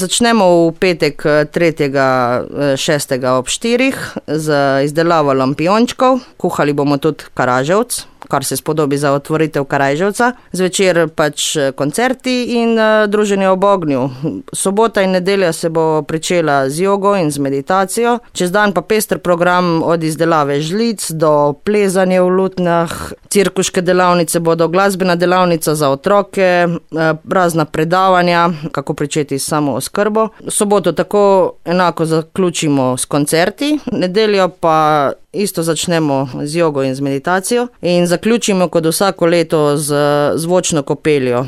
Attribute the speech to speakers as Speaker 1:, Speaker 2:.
Speaker 1: Začnemo v petek 3. 6. ob 4. z izdelavo lampiončkov. Kuhali bomo tudi karaževc, kar se spodobi za otvoritev Karajževca. Zvečer pač koncerti in druženje ob ognju. Sobota in nedelja se bo pričela z jogo in z meditacijo. Čez dan pa pester program od izdelave žlic do plezanja v lutnjah. Cirkuške delavnice bodo, glasbena delavnica za otroke, razna predavanja, kako pričeti s samooskrbo. Soboto tako enako zaključimo s koncerti, nedeljo pa isto začnemo z jogo in z meditacijo in zaključimo kot vsako leto z zvočno kopeljo.